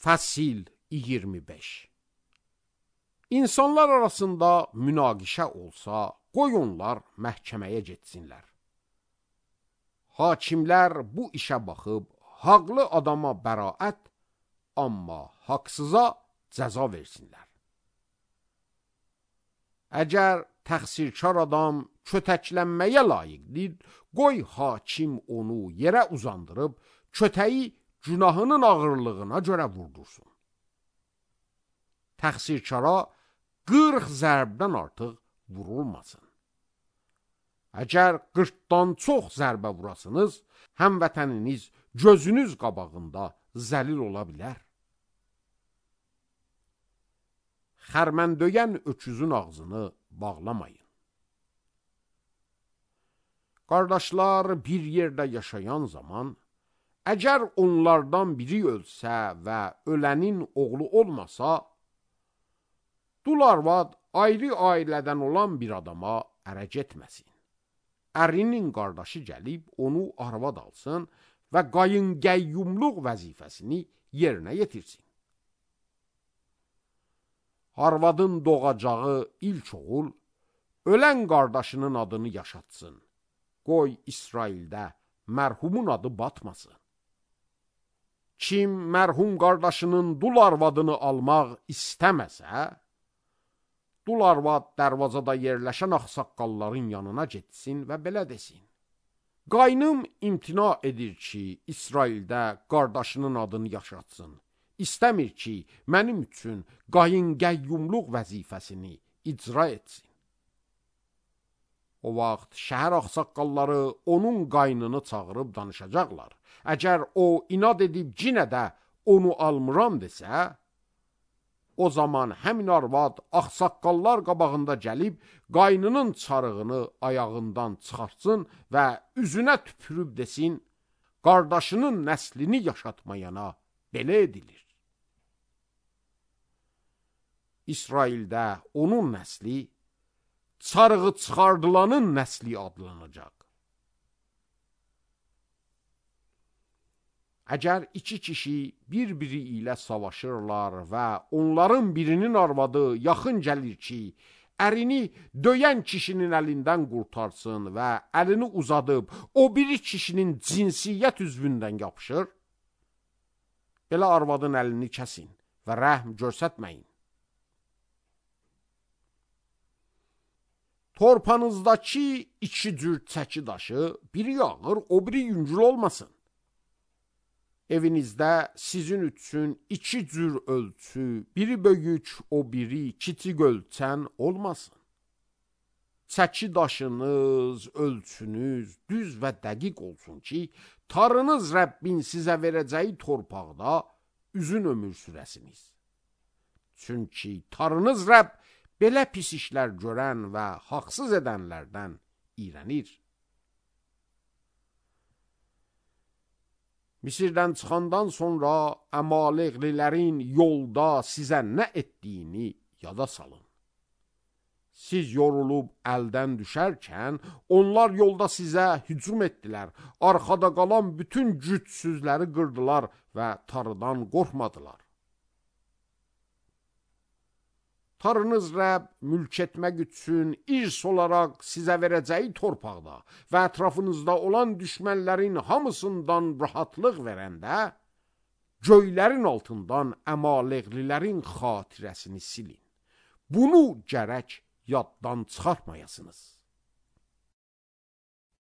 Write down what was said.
Fəsil 25. İnsanlar arasında münaqişə olsa, qoy onlar məhkəməyə getsinlər. Hakimlər bu işə baxıb, haqlı adama bəraət, amma haqsıza cəza versinlər. Əgər təqsirkar adam kötəklənməyə layiqdir, qoy hakim onu yerə uzandırıb, kötəyi günahının ağırlığına görə vurdursun. Təqsirkara 40 zərbdən artıq vurulmasın. Əgər 40-dan çox zərbə vurasınız, həmvətəniniz gözünüz qabağında zəlil ola bilər. Xərmən döyən öküzün ağzını bağlamayın. Qardaşlar bir yerdə yaşayan zaman, əgər onlardan biri ölsə və ölənin oğlu olmasa, dul arvad ayrı ailədən olan bir adama ərə getməsin. Ərinin qardaşı gəlib onu arvad alsın və qayınqəyyumluq vəzifəsini yerinə yetirsin. Arvadın doğacağı ilk oğul, ölən qardaşının adını yaşatsın. Qoy İsraildə mərhumun adı batmasın. Kim mərhum qardaşının dul arvadını almaq istəməsə, dul arvad dərvazada yerləşən ağsaqqalların yanına getsin və belə desin. Qaynım imtina edir ki, İsraildə qardaşının adını yaşatsın. İstəmir ki, mənim üçün qayınqəyyumluq vəzifəsini icra etsin. O vaxt şəhər ağsaqqalları onun qaynını çağırıb danışacaqlar. Əgər o inad edib yenə də onu almıram desə, o zaman həmin arvad ağsaqqallar qabağında gəlib qaynının çarığını ayağından çıxartsın və üzünə tüpürüb desin, qardaşının nəslini yaşatmayana belə edilir. İsraildə onun nəsli çarığı çıxardılanın nəsli adlanacaq. Əgər iki kişi bir-biri ilə savaşırlar və onların birinin arvadı yaxın gəlir ki, ərini döyən kişinin əlindən qurtarsın və əlini uzadıb o biri kişinin cinsiyyət üzvündən yapışır, belə arvadın əlini kəsin və rəhm göstərməyin. Torpanızdakı iki cür çəki daşı, biri ağır, o biri yüngül olmasın. Evinizdə sizin üçün iki cür ölçü, biri böyük, o biri kiçik ölçən olmasın. Çəki daşınız, ölçünüz düz və dəqiq olsun ki, tarınız Rəbbin sizə verəcəyi torpaqda üzün ömür sürəsiniz. Çünki tarınız Rəbb belə pis işlər görən və haqsız edənlərdən iyrənir. Misirdən çıxandan sonra Əmaleqlilərin yolda sizə nə etdiyini yada salın. Siz yorulub əldən düşərkən, onlar yolda sizə hücum etdilər, arxada qalan bütün gücsüzləri qırdılar və tarıdan qorxmadılar. Tarınız Rəbb mülk etmək üçün irs olaraq sizə verəcəyi torpaqda və ətrafınızda olan düşmənlərin hamısından rahatlıq verəndə, göylərin altından Əmaleqlilərin xatirəsini silin. Bunu gərək yaddan çıxartmayasınız.